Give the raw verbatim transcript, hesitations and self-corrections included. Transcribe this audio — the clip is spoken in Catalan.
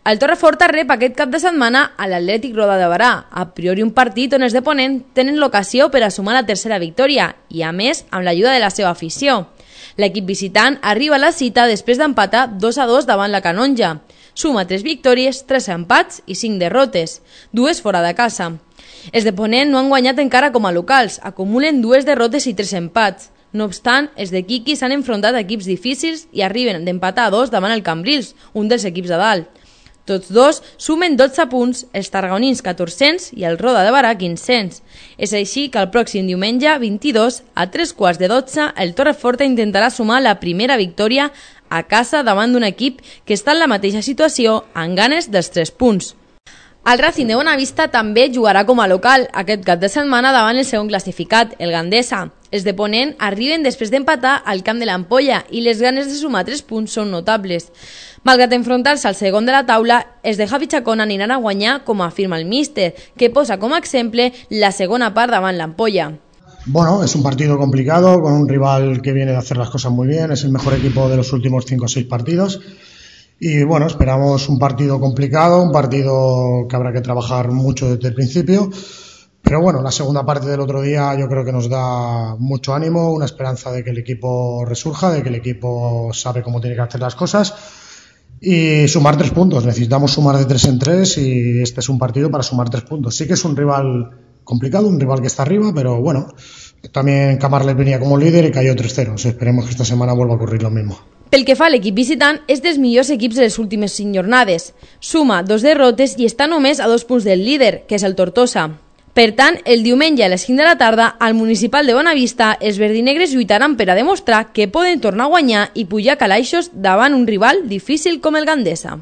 El Torreforta rep aquest cap de setmana a l'Atlètic Roda de Berà, a priori un partit on els de Ponent tenen l'ocasió per a sumar la tercera victòria i, a més, amb l'ajuda de la seva afició. L'equip visitant arriba a la cita després d'empatar dos a dos davant la Canonja. Suma tres victòries, tres empats i cinc derrotes, dues fora de casa. Els de Ponent no han guanyat encara com a locals, acumulen dues derrotes i tres empats. No obstant, els de Quiqui s'han enfrontat a equips difícils i arriben d'empatar a dos davant el Cambrils, un dels equips de dalt. Tots dos sumen dotze punts, els tarragonins catorze-cents i el Roda de Berà quinze-cents. És així que el pròxim diumenge vint-i-dos, a tres quarts de dotze, el Torreforta intentarà sumar la primera victòria a casa davant d'un equip que està en la mateixa situació, amb ganes dels tres punts. El Racing de Bonavista també jugarà com a local aquest cap de setmana davant el segon classificat, el Gandesa. Els de Ponent arriben després d'empatar al camp de l'Ampolla i les ganes de sumar tres punts són notables. Malgrat enfrontar-se al segon de la taula, els de Javi Chacón aniran a guanyar, com afirma el míster, que posa com a exemple la segona part davant l'Ampolla. Bueno, es un partido complicado, con un rival que viene de hacer las cosas muy bien, es el mejor equipo de los últimos cinco o seis partidos. Y bueno, esperamos un partido complicado, un partido que habrá que trabajar mucho desde el principio, pero bueno, la segunda parte del otro día yo creo que nos da mucho ánimo, una esperanza de que el equipo resurja, de que el equipo sabe cómo tiene que hacer las cosas y sumar tres puntos. Necesitamos sumar de tres en tres y este es un partido para sumar tres puntos. Sí que es un rival complicado, un rival que está arriba, pero bueno, también Camarles venía como líder y cayó tres cero. Esperemos que esta semana vuelva a ocurrir lo mismo. Pel que fa a l'equip visitant, és dels millors equips de les últimes cinc jornades. Suma dos derrotes i està només a dos punts del líder, que és el Tortosa. Per tant, el diumenge a les cinc de la tarda, al Municipal de Bonavista, els verdinegres lluitaran per a demostrar que poden tornar a guanyar i pujar calaixos davant un rival difícil com el Gandesa.